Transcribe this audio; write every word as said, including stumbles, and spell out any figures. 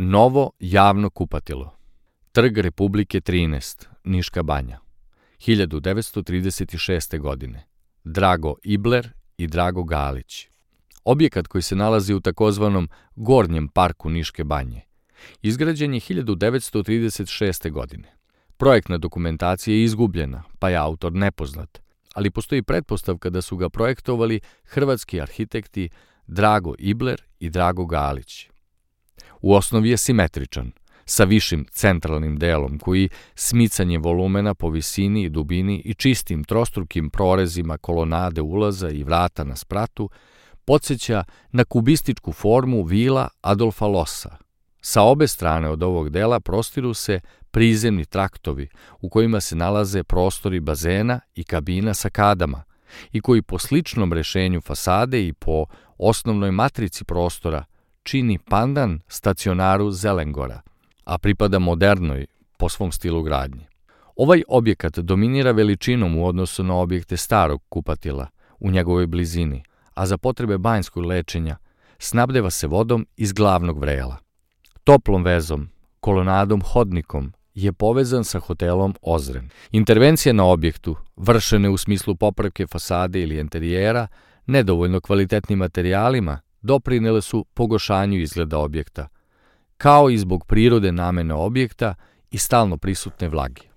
Novo javno kupatilo. Trg Republike trinaest, Niška banja. hiljadu devetsto trideset šeste. godine. Drago Ibler i Drago Galić. Objekat koji se nalazi u takozvanom Gornjem parku Niške banje. Izgrađen je hiljadu devetsto trideset šeste. godine. Projektna dokumentacija je izgubljena, pa je autor nepoznat, ali postoji pretpostavka da su ga projektovali hrvatski arhitekti Drago Ibler i Drago Galić. U osnovi je simetričan, sa višim centralnim delom koji smicanje volumena po visini i dubini i čistim trostrukim prorezima kolonade ulaza i vrata na spratu podsjeća na kubističku formu vila Adolfa Lossa. Sa obe strane od ovog dela prostiru se prizemni traktovi u kojima se nalaze prostori bazena i kabina sa kadama i koji po sličnom rešenju fasade i po osnovnoj matrici prostora čini pandan stacionaru Zelengora, a pripada modernoj po svom stilu gradnje. Ovaj objekat dominira veličinom u odnosu na objekte starog kupatila u njegovoj blizini, a za potrebe banjskog lečenja snabdeva se vodom iz glavnog vrela. Toplom vezom, kolonadom hodnikom je povezan sa hotelom Ozren. Intervencije na objektu, vršene u smislu popravke fasade ili enterijera, nedovoljno kvalitetnim materijalima, doprinele su pogoršanju izgleda objekta, kao i zbog prirode namene objekta i stalno prisutne vlage.